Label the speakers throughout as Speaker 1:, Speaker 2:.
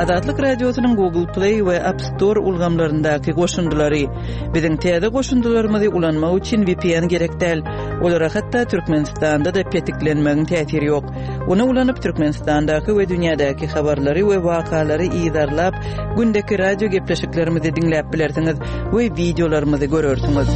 Speaker 1: Azatlyk Radiosynyň Google Play we App Store ulgamlaryndaky goşundylary. Biziň täze goşundylarymyzy ulanmak üçin VPN gerek däl. Olara hatda Türkmenistanda-da petiklenmegiň täsiri ýok. Ony ulanyp Türkmenistandaky we dünýädäki habarlary we wakalary yzarlap, gündeki radio gepleşiklerimizi diňläp bilersiňiz we wideolarymyzy görersiňiz.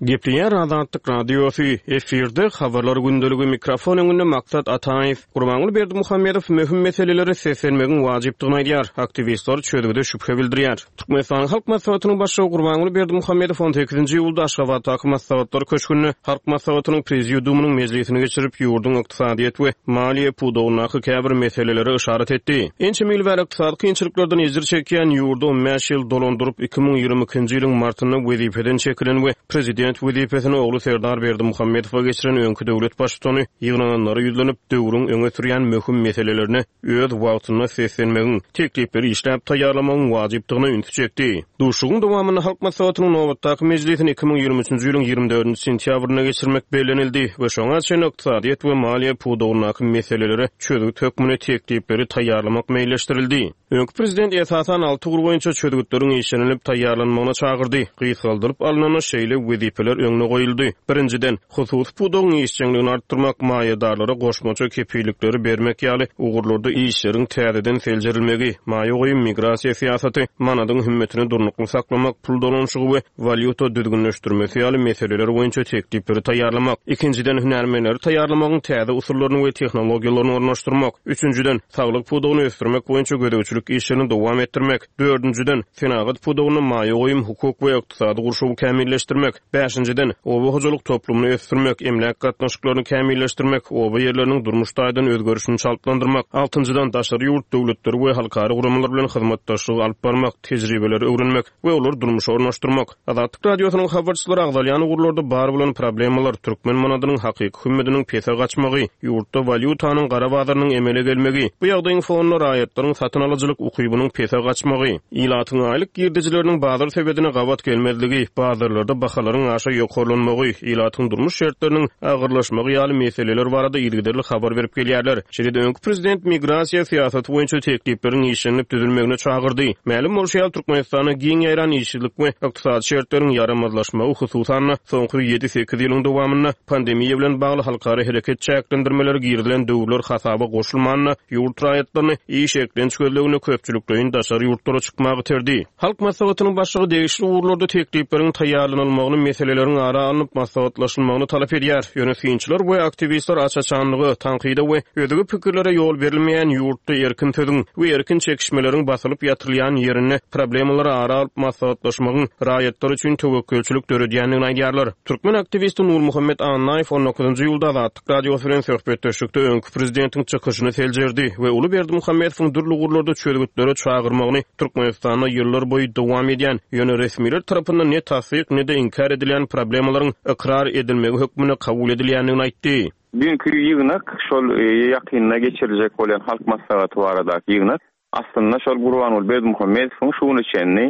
Speaker 2: Gepleýär Azatlyk Radiosy, efirde Habarlar gündeligi, mikrofon öňünde Maksat Ataýew. Gurbanguly Berdimuhamedow möhüm meselelere seslenmegiň wajypdygyny aýdýar, aktiwistler çözgüde şübhe bildirýär. Türkmenistanyň Halk Maslahatynyň Başlygy Gurbanguly Berdimuhamedow on sekizinji iýulda Aşgabatdaky Maslahatlar köşgünde Halk Maslahatynyň Prezidiumynyň mejlisini geçirip, ýurduň ykdysadyýet we maliýe pudagyndaky käbir meselelere yşarat etdi. Ençeme ýyl bäri ykdysady kynçylyklardan ejir çekýän ýurdy on bäş ýyl dolandyryp, 2022-nji ýylyň martynda wezipeden çekilen we prezident wezipesini ogly Serdar Berdimuhamedowa geçiren öňki döwlet baştutany ýygnananlara ýüzlenip, döwrüň öňe sürýän möhüm meselelerine öz wagtynda seslenmegiň, teklipleri işläp taýýarlamagyň wajypdygyna ünsi çekdi. Duşuşygyň dowamynda Halk Maslahatynyň nobatdaky mejlisini 2023-nji ýylyň 24-nji sentýabrynda geçirmek bellenildi we şoňa çenli ykdysadyýet we maliýe pudagyndaky meselelere çözgüt hökmünde teklipleri taýýarlamak meýilleşdirildi. Öňki prezident esasan alty ugur boýunça çözgütleriň işlenilip taýýarlanmagyna çagyrdy. Gysgaldylyp alnanda şeýle wezipeler öňde goýuldy. Birinjiden, hususy pudagyň işjeňligini artdyrmak, maýadarlara goşmaça kepillikleri bermek ýaly ugurlarda işleriň täzeden seljerilmegi, maýa goýum, migrasiýa syýasaty, manadyň hümmetini durnukly saklamak, pul dolanyşygy we walýuta düzgünleşdirmesi ýaly meseleler boýunça teklipleri taýýarlamak. Ikinjiden, hünärmenleri taýýarlamagyň täze usullaryny we tehnologiýalaryny ornaşdyrmak. Üçünjiden, saglyk pudagyny ösdürmek boýunça gözegçilik işlerini dowam etdirmek. Dördünjiden, senagat pudagynda maýa goýum, hukuk we ykdysady gurşawy kämilleşdirmek. Bäşinjiden, oba hojalyk toplumyny ösdürmek, emläk gatnaşyklaryny kämilleşdirmek, oba ýerleriniň durmuş taýdan özgerişini çaltlandyrmak. Altynjydan, daşary ýurt döwletleri we halkara guramalar bilen hyzmatdaşlygy alyp barmak, tejribeleri öwrenmek we olary durmuşa ornaşdyrmak. Azatlyk Radiosynyň habarçylary agzalýan ugurlarda bar bolan problemalar, türkmen manadynyň hakyky hümmediniň pese gaçmagy, ýurtda walýutanyň gara bazarynyň emele gelmegi, bu ýagdaýyň fonunda raýatlaryň satyn alyjylyk ukybynyň pese gaçmagy, ilatyň aýlyk girdejileriniň bazar sebedine gabat gelmezligi, bazarlarda bahalaryň aşa ýokarlanmagy, ilatyň durmuş şertleriniň agyrlaşmagy ýaly meseleler barada yzygiderli habar berip gelýärler. Şeýle-de öňki prezident migrasiýa syýasaty boýunça teklipleriň işlenilip düzülmegine çagyrdy. Mälim bolşy ýaly, Türkmenistanda giň ýaýran işsizlik we ykdysady şertleriň ýaramazlaşmagy, hususan-da, soňky ýedi-sekiz ýylyň dowamynda pandemiýa bilen bagly halkara hereket çäklendirmeleri girizilen döwürler hasaba goşulmanda, ýurt raýatlaryny iş-eklenç gözleginde köpçülikleýin daşary ýurtlara çykmaga iterdi. Halk Maslahatynyň Başlygy degişli ugurlarda teklipleriň taýýarlanylmagyny, meseleleriň ara alnyp maslahatlaşylmagyny talap edýär. Ýöne synçylar we aktiwistler aç-açanlyga, tankyda we özge pikirlere ýol berilmeýän ýurtda erkin sözüň we erkin çekişmeleriň basylyp ýatyrylýan ýerinde problemalary ara alyp maslahatlaşmagyň raýatlar üçin töwekgelçilik döredýändigini aýdýarlar. Türkmen aktiwisti Nurmuhammet Annaýew on dokuzynjy iýulda Azatlyk Radiosy bilen söhbetdeşlikde öňki prezidentiň çykyşyny seljerdi we uly Berdimuhamedowyň dürli ugurlarda çözgütlere çagyrmagyny Türkmenistanda ýyllar boýy dowam edýän, ýöne resmiler tarapyndan ne tassyk, ne-de inkär edilýän problemalaryň ykrar edilmegi hökmünde kabul edilýändigini aýtdy.
Speaker 3: Düýnki ýygnak, şol ýakynda geçiriljek bolýan Halk Maslahaty baradaky ýygnak, aslynda şol Gurbanguly Berdimuhamedowyň şu güne çenli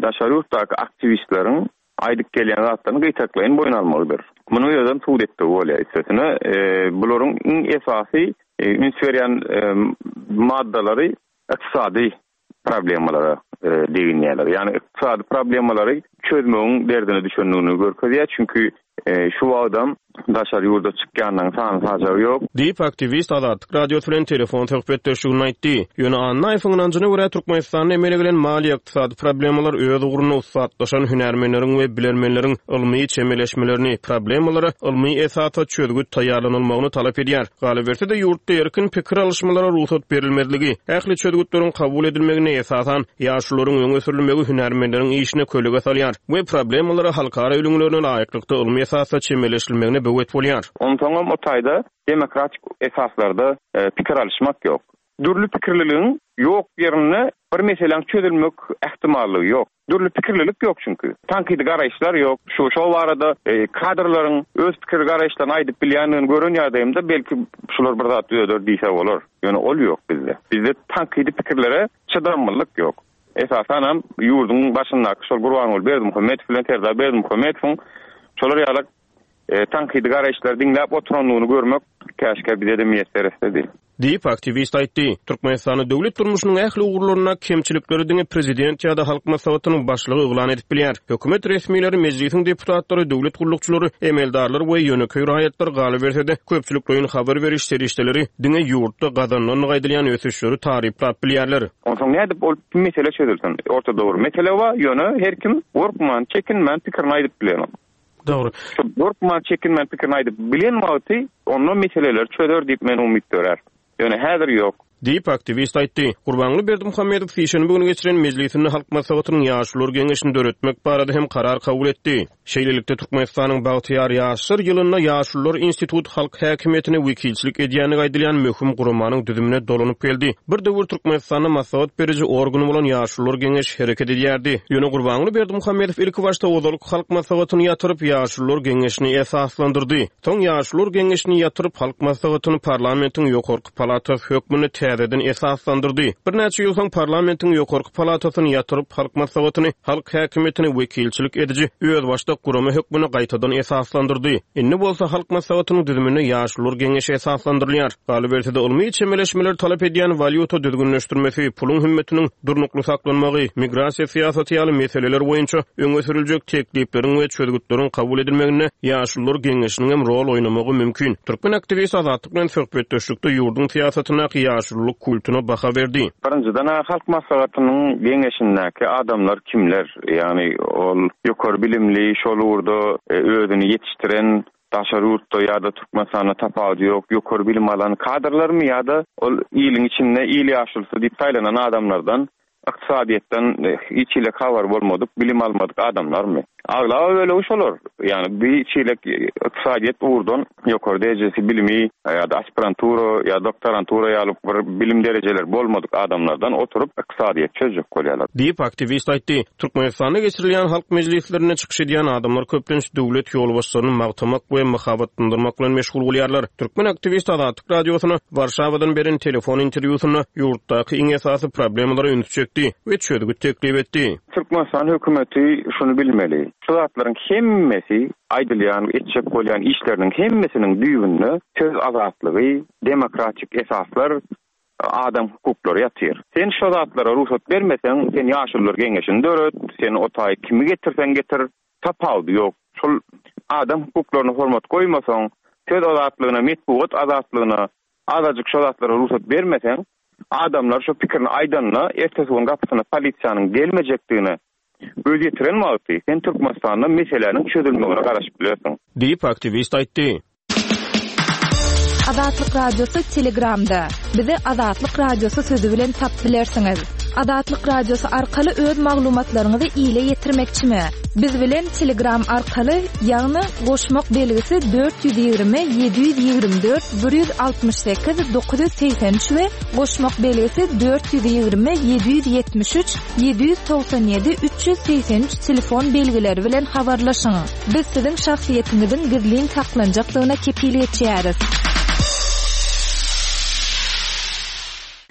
Speaker 3: daşary ýurtdaky aktiwistleriň aýdyp gelýän zatlaryny gytaklaýyn boýun almagydyr. Munuň özem subut etdigi bolýar. Üstesine, bularyň iň esasy üns berýän maddalary ykdysady problemalara deginýärler. Ýagny ykdysady problemalary çözmegiň derdine düşendigini görkezýär. Çünki şu wagtam daşary ýurda çykýanlaryň sany-sajagy ýok.
Speaker 2: Diýip, aktiwist Azatlyk Radiosy bilen telefon söhbetdeşliginde aýtdy. Ýöne Annaýewiň ynanjyna görä, Türkmenistanda emele gelen maliýe-ykdysady problemalar öz ugrunda ussatlaşan hünärmenleriň we bilermenleriň ylmy çemeleşmelerini, problemalara ylmy esasda çözgüt taýýarlanylmagyny talap edýär. Galyberse-de, ýurtda erkin pikir alyşmalara rugsat berilmezligi, ähli çözgütleriň kabul edilmeginde esasan ýaşulularyň öňe sürülmegi hünärmenleriň işine kölege salýar we problemalara halkara ülňülerine laýyklykda ylmy esasda çemeleşilmegine böwet bolýar.
Speaker 3: Onsoňam o taýda demokratik esaslarda pikir alyşmak ýok. Dürli pikirliligiň ýok ýerinde bir meseläň çözülmek ähtimallygy ýok. Dürli pikirlilik ýok çünki. Tankydy garaýyşlar ýok. Şu şo barada kadrlaryň öz pikir garaýyşlaryny aýdyp bilýändigini gören ýagdaýymda belki şular bir zat düzeder diýse bolar. Ýöne ol ýok bizde. Bizde tankydy pikirlere çydamlylyk ýok. Esasanam ýurduň başyndaky şol Gurbanguly Berdimuhamedow bilen Serdar Berdimuhamedowyň şolar ýalak. tankydy garaýyşlary diňläp oturandygyny görmek käşgä bize-de miýesser etsedi.
Speaker 2: Diýip, aktiwist aýtdy. Türkmenistanda döwlet durmuşynyň ähli ugurlarynda kemçilikleri diňe prezident ýa-da Halk Maslahatynyň başlygy yglan edip bilýär. Hökümet resmileri, Mejlisiň deputatlary, döwlet gullukçylary, emeldarlar we ýönekeý raýatlar, galyberse-de, köpçülikleýin habar beriş serişdeleri diňe ýurtda gazanylandygy aýdylýan ösüşleri taryplap bilýärler.
Speaker 3: Onsoň nädip ol mesele çözülsin? Ortada bir mesele bar, ýöne her kim gorkman, çekinmän pikirini aýdyp bilenok.
Speaker 2: Dogry.
Speaker 3: Şol gorkman, çekinmän pikirini aýdyp bilen wagty onda meseleleri çözer diýip men umyt dörär. Ýöne häzir ýok.
Speaker 2: Diýip, aktiwist aýtdy. Gurbanguly Berdimuhamedow sişenbe güni geçiren mejlisinde Halk Maslahatynyň Ýaşulular geňeşini döretmek barada hem karar kabul etdi. Şeýlelikde, Türkmenistanyň bagtyýar ýaşlar ýylynda Ýaşulular instituty halk häkimiýetine wekilçilik edýändigi aýdylýan möhüm guramanyň düzümine dolanyp geldi. Bir döwür Türkmenistanda maslahat beriji organ bolan Ýaşulular geňeşi hereket edýärdi. Ýöne Gurbanguly Berdimuhamedow ilkibaşda ozalky Halk Maslahatyny ýatyryp, Ýaşulular geňeşini esaslandyrdy. Soň Ýaşulular geňeşini ýatyryp, Halk Maslahatyny parlamentiň ýokarky palatasy hökmünde täzeden esaslandyrdy. Birnäçe ýyl soň parlamentiň ýokarky palatasyny ýatyryp, Halk Maslahatyny halk häkimiýetine wekilçilik ediji özbaşdak gurama hökmünde gaýtadan esaslandyrdy. Indi bolsa Halk Maslahatynyň düzüminde Ýaşulular geňeşi esaslandyrylýar. Galyberse-de, ylmy çemeleşmeleri talap edýän walýuta düzgünleşdirmesi, puluň hümmetiniň durnukly saklanmagy, migrasiýa syýasaty ýaly meseleler boýunça öňe sürüljek teklipleriň we çözgütleriň kabul edilmeginde Ýaşulular geňeşiniň hem rol oýnamagy mümkin. Türkmen aktiwisti Azatlyk bilen söhbetdeşlikde ýurduň syýasatyndaky ýaşululyk kultuna baha berdi.
Speaker 3: Birinjiden-ä Halk Maslahatynyň geňeşindäki adamlar kimler? Ýagny ol ýokary bilimli, şol ugurda özüni ýetişdiren, daşary ýurtda ýa-da Türkmenistanda tapawudy ýok, ýokary bilim alan kadrlarmy ýa-da ol iliň içinde il ýaşulusy diýip saýlanan adamlardan, ykdysadyýetden hiç hili habary bolmadyk, bilim almadyk adamlarmy? Aglaba bölegi şolar. Ýagny bir hiç hili ykdysadyýet ugurdan ýokary derejesi bilimi ýa-da aspirantura ýa doktorantura ýaly bir bilim derejeleri bolmadyk adamlardan oturyp ykdysadyýet çözjek bolýarlar.
Speaker 2: Diýip, aktiwist aýtdy. Türkmenistanda geçirilýän halk mejlislerinde çykyş edýän adamlar köplenç döwlet ýolbaşçylaryny magtamak we mahabatlandyrmak bilen meşgul bolýarlar. Türkmen aktiwisti Azatlyk Radiosyna Warşawadan beren telefon interwýusynda ýurtdaky iň esasy problemalara ünsi çekdi we çözgüt teklip etdi.
Speaker 3: Türkmenistan hökümeti şuny bilmeli, şu zatlaryň hemmesi, aýdylýan, etjek bolýan işleriniň hemmesiniň düýbünde söz azatlygy, demokratik esaslar, adam hukuklary ýatyr. Sen şo zatlara rugsat bermeseň, sen ýaşulular geňeşini döret, sen o taýy kimi getirseň getir, tapawudy ýok. Şol adam hukuklaryna hormat goýmasaň, söz azatlygyna, metbugat azatlygyna azajyk şo zatlara rugsat bermeseň, adamlar şo pikirini aýdanda, ertesi gün gapysyna polisiýanyň gelmejekdigine göz ýetiren wagty, sen Türkmenistanda meseläniň çözülmegine garaşyp bilersiň.
Speaker 2: Diýip, aktiwist aýtdy.
Speaker 4: Azatlyk Radiosy Telegramda. Bizi Azatlyk Radiosy sözi bilen tapyp bilersiňiz. Azatlyk Radiosy arkaly öz maglumatlaryňyzy ile ýetirmekçimi? Biz bilen Telegram arkaly, ýagny goşmak belgisi 420 724 168 983 we goşmak belgisi 420 773 797 383 telefon belgileri bilen habarlaşyň. Biz siziň şahsyýetiňiziň gizlin saklanjakdygyna kepil geçýäris.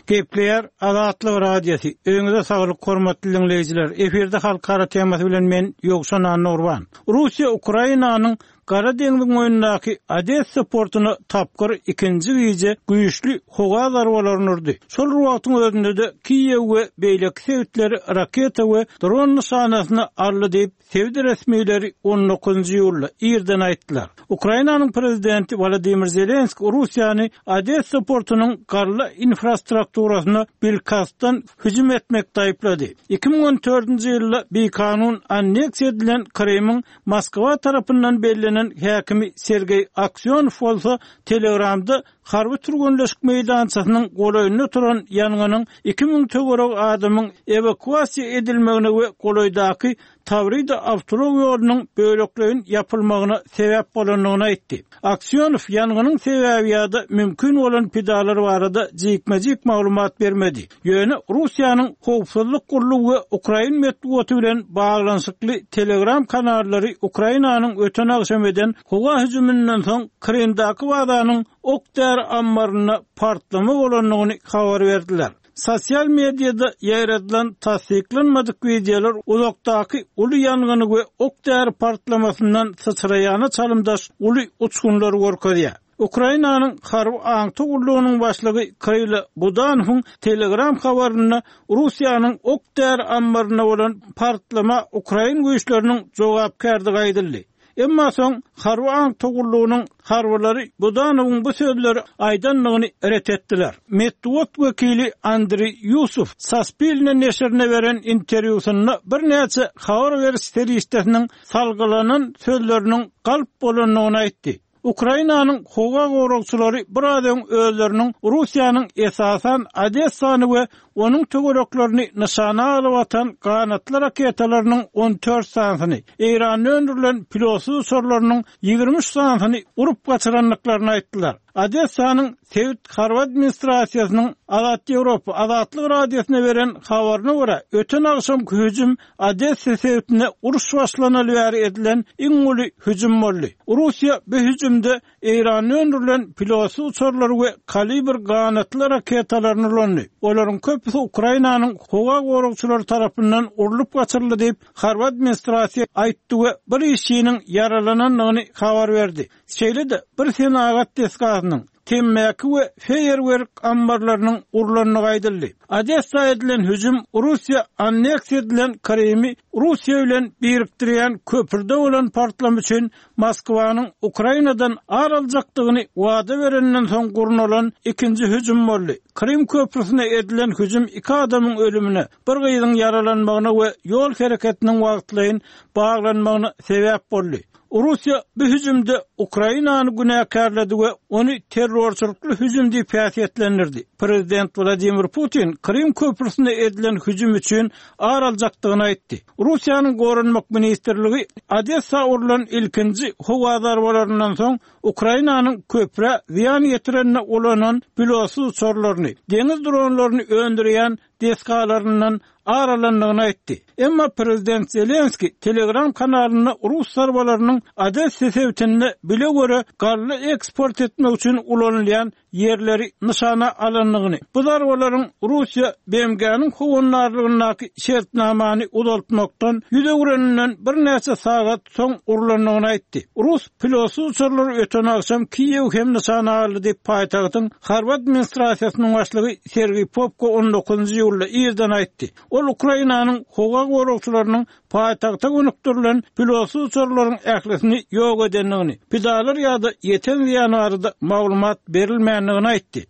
Speaker 5: Gepleýär Azatlyk Radiosy, Öýüňize saglyk hormatly diňleýjiler! Efirde Halkara temasy bilen men Ýowşan Annagurban. Russiýa Ukrainanyň Gara deňziň boýundaky Odessa portuna tapgyr ikinji gije güýçli howa zarbalaryny urdy. Şol bir wagtyň özünde-de Kiýew we beýleki sebitleri raketa we dron nyşanasyna aldy diýip, sebit resmileri on dokuzynjy iýulda irden aýtdylar. Ukrainanyň prezidenti Wolodymyr Zelenskiý Russiýany Odessa portunyň galla infrastrukturasyna bilkastdan hüjüm etmekde aýyplady. 2014-nji ýylda bikanun anneksiýa edilen Krymyň Moskwa tarapyndan bellenen häkimi Sergeý Aksýonow bolsa Telegramda harby türgenleşik meýdançasynyň golaýynda turan ýangynyň 2000 töweregi adamyň ewakuasiýa edilmegine we golaýdaky Tawrida awtoulag ýolunyň bölekleýin ýapylmagyna sebäp bolandygyny aýtdy. Aksýonow ýangynyň sebäbi ýa-da mümkin bolan pidalar barada jikme-jik maglumat bermedi. Ýöne Russiýanyň howpsuzlyk gullugy we ukrain metbugaty bilen baglanyşykly Telegram kanallary Ukrainanyň öten agşam eden howa hüjüminden soň Krymdaky bazanyň ok-däri ammarynda partlama bolandygyny habar berdiler. Sosial mediada ýaýradylan tassyklanmadyk wideolar uzakdaky uly ýangyny we ok-däri partlamasyndan syçraýana çalymdaş uly uçgunlary görkezýär. Ukrainanyň harby aňtaw gullugynyň başlygy Kyrylo Budanowyň Telegram habarynda Russiýanyň ok-däri ammarynda bolan partlama ukrain güýçleriniň jogapkärdigi aýdyldy. Emma soň harby aňtaw gullugynyň harbylary Budanowyň bu sözleri aýdandygyny ret etdiler. Metbugat wekili Andriý Ýusow Saspilne neşirine beren interwýusynda birnäçe habar beriş serişdesiniň salgylanan sözleriniň galp bolandygyny aýtdy. Ukrainanyň howa goragçylary biraz öň özleriniň Russiýanyň esasan Odessany we onuň töwereklerini nyşana alyp atan ganatly raketalarynyň 14 sanysyny, Eýranda öndürilen pilotsyz uçarlarynyň 23 sanysyny urup gaçyrandyklaryny aýtdylar. Odessanyň sebit harby administrasiýasynyň Azat Ýewropa Azatlyk Radiosyna beren habaryna görä, öten agşamky hüjüm Odessa sebitinde uruş başlanaly bäri edilen iň uly hüjüm boldy. Russiýa bu hüjümde Eýranda öndürilen pilotsyz uçarlary we Kalibr ganatly raketalaryny ulandy. Olaryň köpüsi Ukrainanyň howa goragçylary tarapyndan urlup gaçyryldy diýip, harby administrasiýa aýtdy we bir işçiniň ýaralanandygyny habar berdi. Şeýle-de, bir senagat desgasynyň, temmäki we feýerwerk ammarlarynyň urlandygy aýdyldy. Odessa edilen hüjüm Russiýa anneksiýa edilen Krymy Russiýa bilen birikdirýän köprüde bolan partlama üçin Moskwanyň Ukrainadan ar aljakdygyny wada bereninden soň gurnalan ikinji hüjüm boldy. Krym köprüsine edilen hüjüm iki adamyň ölümine, bir gyzyň ýaralanmagyna we ýol hereketiniň wagtlaýyn baglanmagyna sebäp boldy. Russiýa bu hüjümde Ukrainany günäkärledi we ony terrorçylykly hüjüm diýip häsiýetlendirdi. Prezident Wladimir Putin Krym köprüsine edilen hüjüm üçin ar aljakdygyny aýtdy. Russiýanyň Goranmak ministrligi Odessa urlan ilkinji howa zarbalaryndan soň Ukrainanyň köprä zyýan ýetirende ulanan pilotsyz uçarlaryny, deňiz dronlaryny öndürýän desgalaryndan ar alandygyny aýtdy. Emma prezident Zelenskiý Telegram kanalynda rus zarbalarynyň Odessa sebitinde bile-göre galla eksport etmek üçin ulanylýan ýerleri nyşana alandygyny, bu zarbalaryň Russiýa BMG-niň howandarlygyndaky şertnamany uzaltmakdan ýüz öwreninden birnäçe sagat soň urlandygyny aýtdy. Rus pilotsyz uçarlary öten agşam Kiýewi hem nyşana aldy diýip, paýtagtyň harby administrasiýasynyň başlygy Sergiý Popko on dokuzynjy iýulda irden aýtdy. Ol Ukrainanyň howa goragçylarynyň paýtagta gönükdirilen pilotsyz uçarlaryň ählisini ýok edendigini, pidalar ýa-da ýeten zyýan barada maglumat berilmändigini aýtdy.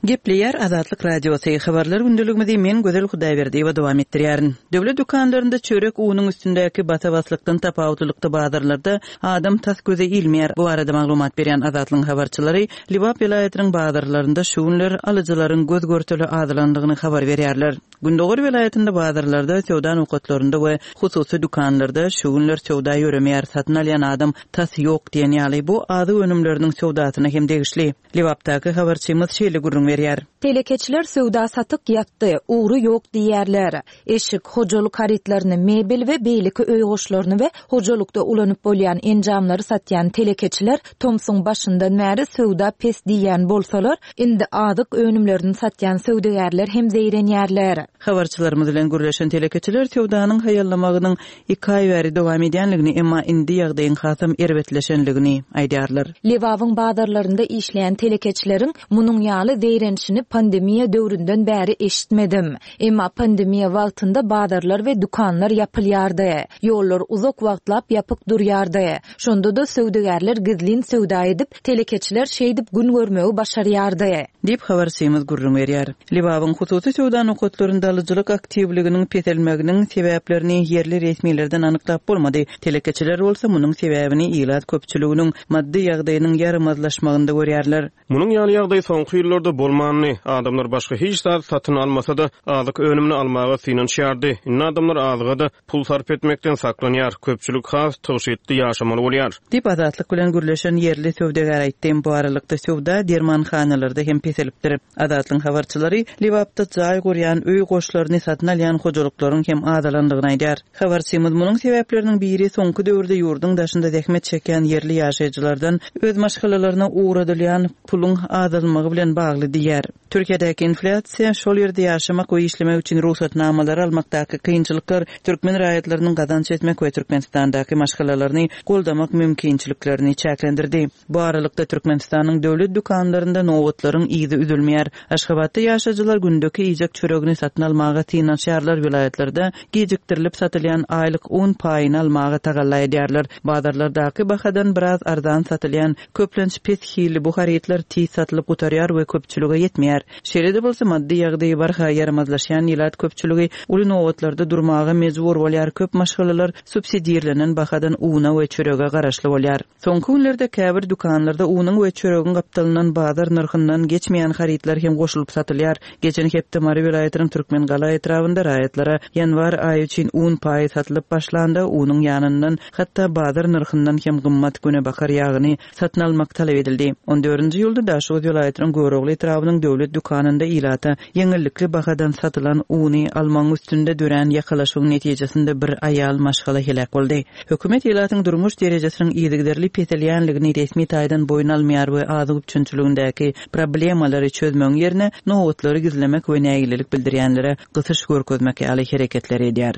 Speaker 1: Gepleýär Azatlyk Radiosy, Habarlar gündeligimizi men Gözel Hudaýberdiýewa dowam etdirýärin. Döwlet dükanlarynda çörek unuň üstündäki basa-baslykdan tapawutlylykda bazarlarda adam tas göze ilmeýär. Bu barada maglumat berýän Azatlygyň habarçylary Lebap welaýatynyň bazarlarynda şu günler alyjylaryň göz-görtele azalandygyny habar berýärler. Gündogar welaýatynda bazarlarda, söwda nokatlarynda we hususy dükanlarda şu günler söwda ýöremeýär, satyn alýan adam tas ýok diýen ýaly. Bu azyk önümleriniň söwdasyna hem degişli. Lebapdaky habarçymyz şeýle gürrüň berýär.
Speaker 4: Telekeçiler söwda-satyk ýatdy, ugry ýok diýýärler. Eşik, hojalyk harytlaryny, mebel we beýleki öý goşlaryny we hojalykda ulanyp bolýan enjamlary satýan telekeçiler tomsuň başyndan bäri söwda pes diýýän bolsalar, indi azyk önümlerini satýan söwdagärler hem zeýrenýärler.
Speaker 1: Habarçylarymyz bilen gürleşen telekeçiler söwdanyň haýallamagynyň iki aý bäri dowam edýänligini, emma indi ýagdaýyň hasam erbetleşenligini aýdýarlar.
Speaker 4: Lebabyň bazarlarynda işleýän telekeçileriň munuň ýaly zeýrenişini pandemiýa döwründen bäri eşitmedim. Emma pandemiýa wagtynda bazarlar we dükanlar ýapylýardy. Ýollar uzak wagtlap ýapyk durýardy. Şonda-da söwdagärler gizlin söwda edip, telekeçiler şeýdip gün görmegi başarýardy.
Speaker 1: Diýip, habarçymyz gürrüň berýär. Lebabyň hususy söwda nokatlarynda alyjylyk aktiwliginiň peselmeginiň sebäplerini ýerli resmilerden anyklap bolmady. Telekeçiler bolsa munuň sebäbini ilat köpçüliginiň maddy ýagdaýynyň ýaramazlaşmagynda görýärler.
Speaker 2: Munuň ýaly ýagdaý soňky ýyllarda bolmandy. Adamlar başga hiç zat satyn almasa-da, azyk önümini almaga synanyşýardy. Indi adamlar azyga-da pul sarp etmekden saklanýar, köpçülik has tygşytly ýaşamaly bolýar.
Speaker 1: Diýip, Azatlyk bilen gürleşen ýerli söwdagär aýtdy. Bu aralykda, söwda dermanhanalarda hem pesel. peselipdir. Azatlygyň habarçylary Lebapda jaý gurýan, öý goşlaryny satyn alýan hojalyklaryň hem azalandygyny aýdýar. Habarçymyz munuň sebäpleriniň biri soňky döwürde ýurduň daşynda zähmet çekýän ýerli ýaşaýjylardan öz maşgalalaryna ugradylýan puluň azalmagy bilen bagly diýýär. Türkiýedäki inflýasiýa, şol ýerde ýaşamak we işlemek üçin rugsatnamalary almakdaky kynçylyklar türkmen raýatlarynyň gazanç etmek we Türkmenistandaky maşgalalaryny goldamak mümkinçiliklerini çäklendirdi. Bu aralykda, Türkmenistanyň döwlet dükanlarynda nobatlaryň yzy üzülmeýär. Aşgabatda ýaşaýjylar gündeki iýjek çöregini satyn almaga synanyşýarlar, welaýatlarda gijikdirilip satylýan aýlyk un paýyny almaga tagalla edýärler. Bazarlardaky bahadan biraz arzan satylýan, köplenç pes hilli bu harytlar tiz satylyp gutarýar we köpçülige ýetmeýär. Şeýle-de bolsa, maddy ýagdaýy barha ýaramazlaşýan ilat köpçüligi uly nobatlarda durmaga mejbur bolýar, köp maşgalalar subsidirlenen bahadan una we çörege garaşly bolýar. Soňky günlerde käbir dükanlarda unuň we çöregiň gapdalyndan bazar nyrhyndan geçmeýän harytlar hem goşulyp satylýar. Geçen hepde Mary welaýatynyň Türkmengala etrabynda raýatlara ýanwar aýy üçin un paýy satylyp başlanda, unuň ýanyndan hatda bazar nyrhyndan hem gymmat günebakar ýagyny satyn almak talap edildi. On dördünji iýulda Daşoguz welaýatynyň Görogly etrabynyň döwlet dükanynda ilata ýeňillikli bahadan satylan uny almagyň üstünde dörän ýakalaşygyň netijesinde bir aýal maşgala heläk boldy. Hökümet ilatyň durmuş derejesiniň yzygiderli peselýänligini resmi taýdan boýun almaýar we azyk üpjünçiligindäki problemalary çözmegiň ýerine nobatlary gizlemek we nägilelik bildirýänlere gysyş görkezmek ýaly hereketleri edýär.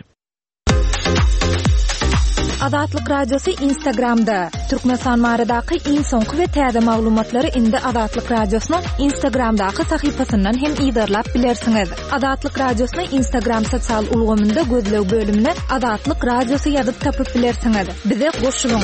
Speaker 4: Azatlyk Radiosy Instagramda, Türkmenistan baradaky iň soňky we täze maglumatlary indi Azatlyk Radiosynyň Instagramdaky sahypasyndan hem yzarlap bilersiňiz. Azatlyk Radiosyny Instagram sosial ulgamynda gözleg bölümine Azatlyk Radiosy ýazyp tapyp bilersiňiz. Bize goşulyň!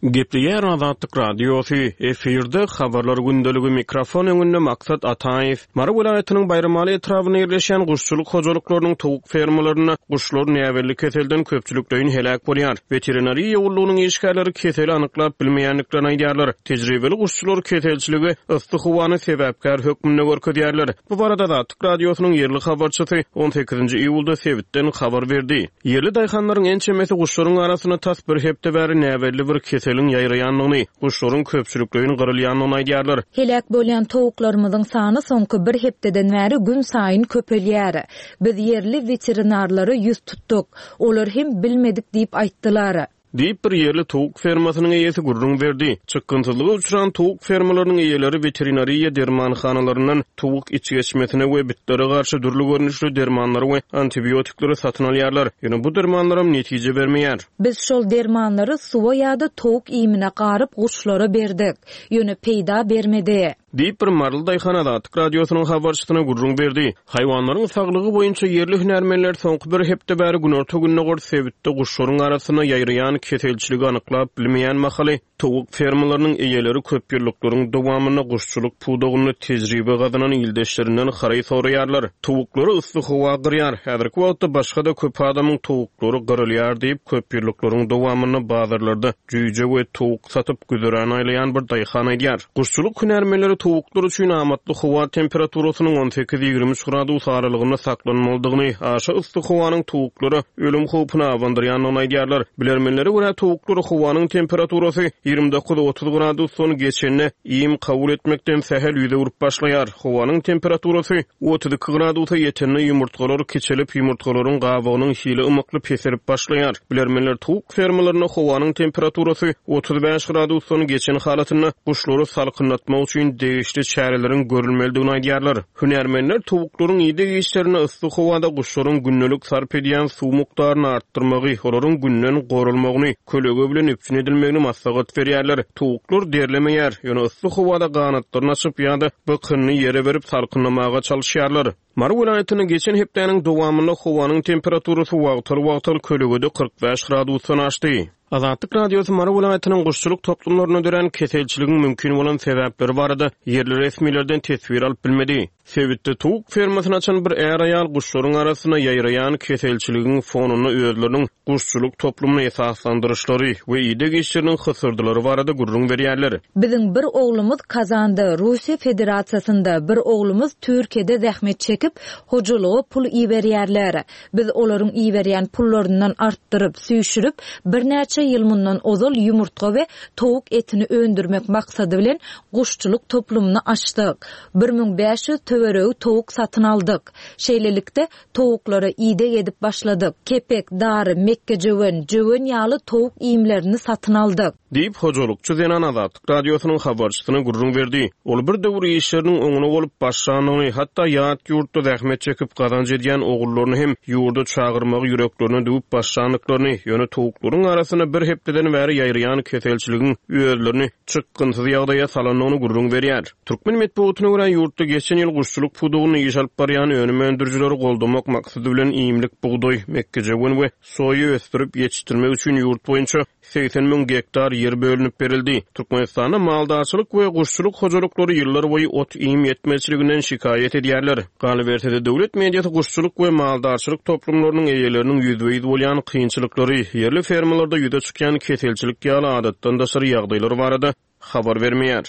Speaker 2: Gepleýär Azatlyk Radiosy, efirde Habarlar gündeligi, mikrofon öňünde Maksat Ataýew. Mary welaýatynyň Baýramaly etrabynda ýerleşýän guşçulyk hojalyklarynyň towuk fermalarynda guşlar näbelli keselden köpçülikleýin heläk bolýar. Weterinariýa gullugynyň işgärleri keseli anyklap bilmeýändiklerini aýdýarlar. Tejribeli guşçular keselçilige yssy howany sebäpkär hökmünde görkezýärler. Bu barada Azatlyk Radiosynyň ýerli habarçysy on sekizinji iýulda sebitden habar berdi. Ýerli daýhanlaryň ençemesi guşlaryň arasynda tas bir hepde bäri näbelli bir keseliň ýaýraýandygyny, guşlaryň köpçülikleýin gyrylýandygyny aýdýarlar.
Speaker 4: Heläk bolýan towuklarymyzyň sany soňky bir hepdeden bäri günsaýyn köpelýär. Biz ýerli weterinarlara ýüz tutduk. Olar hem bilmedik diýip aýtdylar.
Speaker 2: Diýip, bir ýerli towuk fermasynyň eýesi gürrüň berdi. Çykgynsyzlyga uçran towuk fermalarynyň eýeleri weterinariýa dermanhanalaryndan towuk içgeçmesine we bitlere garşy dürli görnüşli dermanlary we antibiotikleri satyn alýarlar. Ýöne bu dermanlaram netije bermeýär.
Speaker 4: Biz şol dermanlary suwa ýa-da towuk iýmine garyp guşlara berdik. Ýöne peýda bermedi.
Speaker 2: Diýip, bir maryly daýhan Azatlyk Radiosynyň habarçysyna gürrüň berdi. Haýwanlaryň saglygy boýunça ýerli hünärmenler soňky bir hepde bäri günorta-gündogar sebitde guşlaryň arasynda ýaýraýan keselçiligi anyklap bilmeýän mahaly, towuk fermalarynyň eýeleri köpýyllyklaryň dowamynda guşçulyk pudagynda tejribe gazanan ildeşlerinden haraý soraýarlar. Towuklary yssy howa gyrýar. Häzirki wagtda başga-da köp adamyň towuklary gyrylýar diýip, köpýyllyklaryň dowamynda bazarlarda jüýje we towuk satyp güzeran aýlaýan bir daýhan aýdýar. Guşçulyk hünärmenleri towuklar üçin amatly howa temperaturasynyň on sekiz-ýigrimi üç gradus aralygynda saklanmalydygyny, aşa yssy howanyň towuklara ölüm howpuny abandyrýandygyny aýdýarlar. Bilermenlere görä, towuklar howanyň temperaturasy 29-30 gradusdan geçende iým kabul etmekden sähel ýüz öwrüp başlaýar. Howanyň temperaturasy 32 gradusa ýetende ýumurtgalar kiçelip, ýumurtgalaryň gabygynyň hili ymykly peselip başlaýar. Bilermenler towuk fermalarynda howanyň temperaturasy 35 gradusdan geçen halatynda guşlary salkynlatmak üçin degişli çäreleriň görülmelidigini aýdýarlar. Hünärmenler towuklaryň ideg işlerinde yssy howada guşlaryň gündelik sarp edýän suw mukdaryny artdyrmagy, olaryň günden goralmagyny, kölege bilen üpjün edilmegini maslahat berýärler. Towuklar derlemeýär, ýöne yssy howada ganatlaryny açyp ýa-da bykynyny ýere berip salkynlamaga çalyşýarlar. Mary welaýatynda geçen hepdäniň dowamynda howanyň temperaturasy wagtal-wagtal kölegede 45 gradusdan aşdy. Azatlyk Radiosy Mary welaýatynyň guşçulyk toplumlarynda dörän keselçiligiň mümkin bolan sebäpleri barada ýerli resmilerden teswir alyp bilmedi. Sebitde towuk fermasyny açan bir är-aýal guşlaryň arasynda ýaýraýan keselçiligiň fonunda özleriniň guşçulyk toplumyny esaslandyryşlary we ideg işleriniň hysyrdylary barada gürrüň berýärler.
Speaker 6: Biziň bir oglumyz Kazanda, Russiýa Federasiýasynda, bir oglumyz Türkiýede zähmet çekip, hojalyga pul iberýärler. Biz olaryň iberýän pullaryndan artdyryp, süýşürip, birnäçe ýyl mundan ozal ýumurtga we towuk etini öndürmek maksady bilen guşçulyk toplumyny açdyk. 1500 töweregi towuk satyn aldyk. Şeýlelikde, towuklara ideg edip başladyk. Kepek, dary, mekgejöwen, jöwen ýaly towuk iýmlerini satyn aldyk.
Speaker 2: Diýip, hojalykçy zenan Azatlyk Radiosynyň habarçysyna gürrüň berdi. Ol bir döwür işleriniň oňuna bolup başlandygyny, hatda ýat ýurtda zähmet çekip gazanç edýän ogullaryny hem ýurda çagyrmagy ýüreklerine düwüp başlandyklaryny, ýöne towuklaryň arasynda bir hepdeden bäri ýaýraýan keselçiligiň özlerini çykgynsyz ýagdaýa salandygyny gürrüň berýär. Türkmen metbugatyna görä, ýurtda geçen ýyl guşçulyk pudagynda iş alyp barýan önüm öndürijileri goldamak maksady bilen iýmlik bugdaý, mekgejöwen we soýa ösdürip ýetişdirmek üçin ýurt boýunça 80 müň gektar ýer bölünip berildi. Türkmenistanda maldarçylyk we guşçulyk hojalyklary ýyllarboýy ot-iým ýetmezçiliginden şikaýat edýärler. Galyberse-de, döwlet mediasy guşçulyk we maldarçylyk toplumlarynyň eýeleriniň ýüzbe-ýüz bolýan kynçylyklary, ýerli fermalarda ýüze çykýan keselçilik ýaly adatdan daşary ýagdaýlar barada habar bermeýär.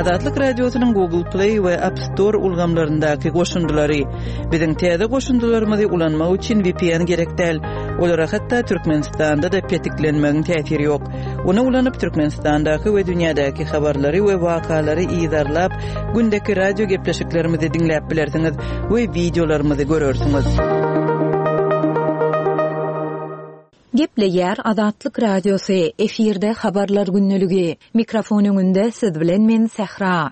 Speaker 1: Azatlyk Radiosynyň Google Play we App Store ulgamlaryndaky goşundylary. Biziň täze goşundylarymyzy ulanmak üçin VPN gerek däl. Olara hatda Türkmenistanda-da petiklenmegiň täsiri ýok. Ony ulanyp Türkmenistandaky we dünýädäki habarlary we wakalary yzarlap, gündeki radio gepleşiklerimizi diňläp bilersiňiz we wideolarymyzy görersiňiz.
Speaker 6: Gepleýär Azatlyk Radiosy, efirde Habarlar gündeligi. Mikrofon öňünde siz bilen men Sähra.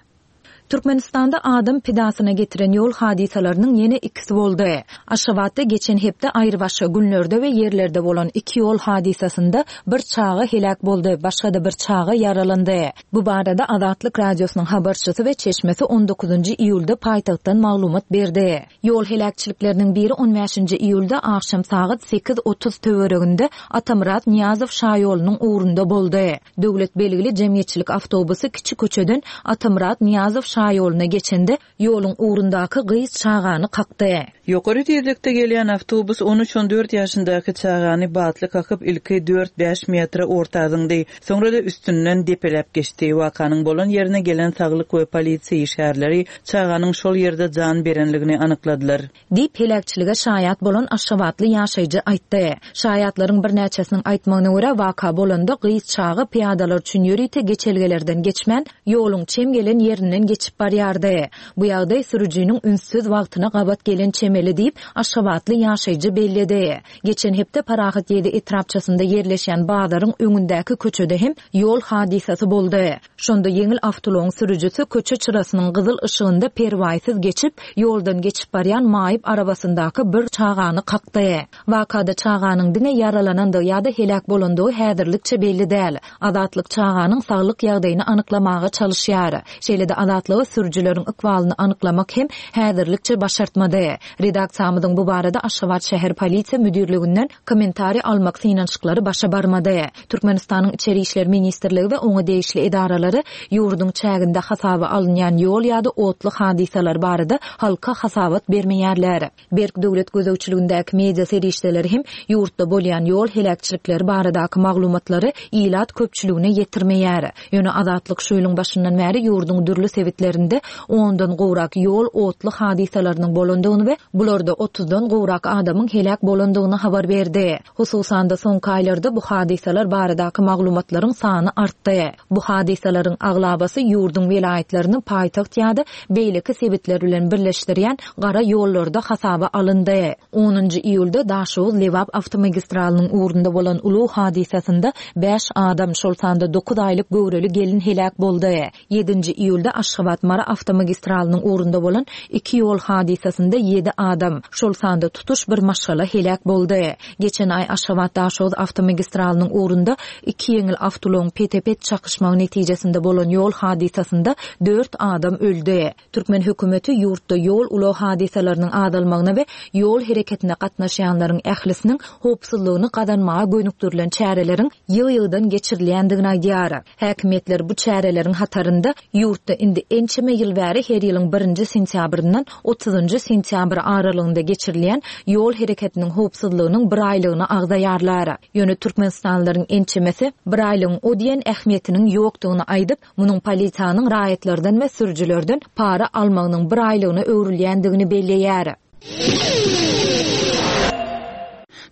Speaker 6: Türkmenistanda adam pidasyna getiren ýol hadysalarynyň ýene ikisi boldy. Aşgabatda geçen hepde aýrybaşga günlerde we ýerlerde bolan iki ýol hadysasynda bir çaga heläk boldy, başga-da bir çaga ýaralandy. Bu barada Azatlyk Radiosynyň habarçysy we çeşmesi on dokuzynjy iýulda paýtagtdan maglumat berdi. Ýol heläkçilikleriniň biri on bäşinji iýulda agşam sagat 8:30 töwereginde Atamyrat Nyýazow şaýolunyň ugrunda boldy. Döwlet belgili jemgyýetçilik awtobusy kiçi köçeden Atamyrat Nyýazow şaýoluna geçende, ýoluň ugrundaky gyz çagany kakdy.
Speaker 1: Ýokary tizlikde gelýän awtobus on üç-on dört ýaşyndaky çagany batly kakyp, ilki dört-bäş metre orta zyňdy. Soňra-da üstünden depeläp geçdi. Wakanyň bolan ýerine gelen saglyk we polisiýa işgärleri çaganyň şol ýerde jan berenligini anykladylar.
Speaker 6: Diýip, heläkçilige şaýat bolan aşgabatly ýaşaýjy aýtdy. Şaýatlaryň birnäçesiniň aýtmagyna görä, waka bolanda gyz çaga pyýadalar üçin ýörite geçelgelerden geçmän, ýoluň çem gelen ýerinden geçip barýardy. Bu ýagdaý sürüjiniň ünssüz wagtyna gabat gelen çemeli diýip, aşgabatly ýaşaýjy belledi. Geçen hepde Parahat ýedi etrapçasynda ýerleşýän bazaryň öňündäki köçede hem ýol hadysasy boldy. Şonda ýeňil awtoulagyň sürüjisi köçe çyrasynyň gyzyl yşygynda perwaýsyz geçip, ýoldan geçip barýan maýyp arabasyndaky bir çagany kakdy. Wakada çaganyň diňe ýaralanandygy ýa-da heläk bolandygy häzirlikçe belli däl. Azatlyk çaganyň saglyk ýagdaýyny anyklamaga çalyşýar. Şeýle-de Azatlyga sürüjileriň ykbalyny anyklamak hem häzirlikçe başartmady. Redaksiýamyzyň bu barada Aşgabat şäher polisiýa müdirliginden kommentariý almak synanyşyklary başa barmady. Türkmenistanyň Içeri işler ministrligi we oňa degişli edaralary ýurduň çäginde hasaba alynýan ýol ýa-da otly hadysalary barada halka hasabat bermeýärler. Berk döwlet gözegçiligindäki media serişdeleri hem ýurtda bolýan ýol heläkçilikleri baradaky maglumatlary ilat köpçüligine ýetirmeýär. Ýöne Azatlyk şu ýylyň başyndan bäri ýurduň dürli sebitlerinde ondan gowrak ýol otly hadysalarynyň bolandygyny we bularda otuzdan gowrak adamyň heläk bolandygyny habar berdi. Hususan-da, soňky aýlarda bu hadysalar baradaky maglumatlaryň sany artdy. Bu hadysalaryň aglabasy ýurduň welaýatlaryny paýtagt ýa-da beýleki sebitler bilen birleşdirýän gara ýollarda hasaba alyndy. Onunjy iýulda Daşoguz-Lebap awtomagistralynyň ugrunda bolan ulag hadysasynda bäş adam, şol sanda dokuz aýlyk göwreli gelin heläk boldy. Ýedinji iýulda Aşgabat-Mary awtomagistralynyň ugrunda bolan iki ýol hadysasynda ýedi adam, şol sanda tutuş bir maşgala heläk boldy. Geçen aý Aşgabat-Daşoguz awtomagistralynyň ugrunda iki ýeňil awtoulagyň pete-pet çakyşmagy netijesinde bolan ýol hadysasynda dört adam öldi. Türkmen hökümeti ýurtda ýol-ulag hadysalarynyň azalmagyna we ýol hereketine gatnaşýanlaryň ählisiniň howpsuzlygyny gazanmaga gönükdirilen çäreleriň ýygy-ýygydan geçirilýändigini aýdýar. Häkimiýetler bu çäreleriň hatarynda ýurtda indi ençeme ýyl bäri her ýylyň birinji sentýabryndan otuzynjy sentýabr aralygynda geçirilýän ýol hereketiniň howpsuzlygynyň biraýlygyny agzaýarlar. Ýöne türkmenistanlylaryň ençemesi biraýlygyň o diýen ähmiýetiniň ýokdugyny aýdyp, munuň polisiýanyň raýatlardan we sürüjilerden para almagynyň biraýlygyna öwrülýändigini belleýär.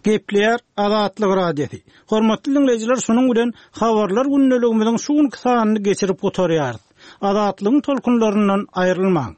Speaker 5: Gepleýär Azatlyk Radiosy. Hormatly diňleýjiler şunuň bilen Habarlar gündeligimiziň şu günki sanyny geçirip gutarýarys. Azatlygyň tolkunlaryndan aýrylmaň.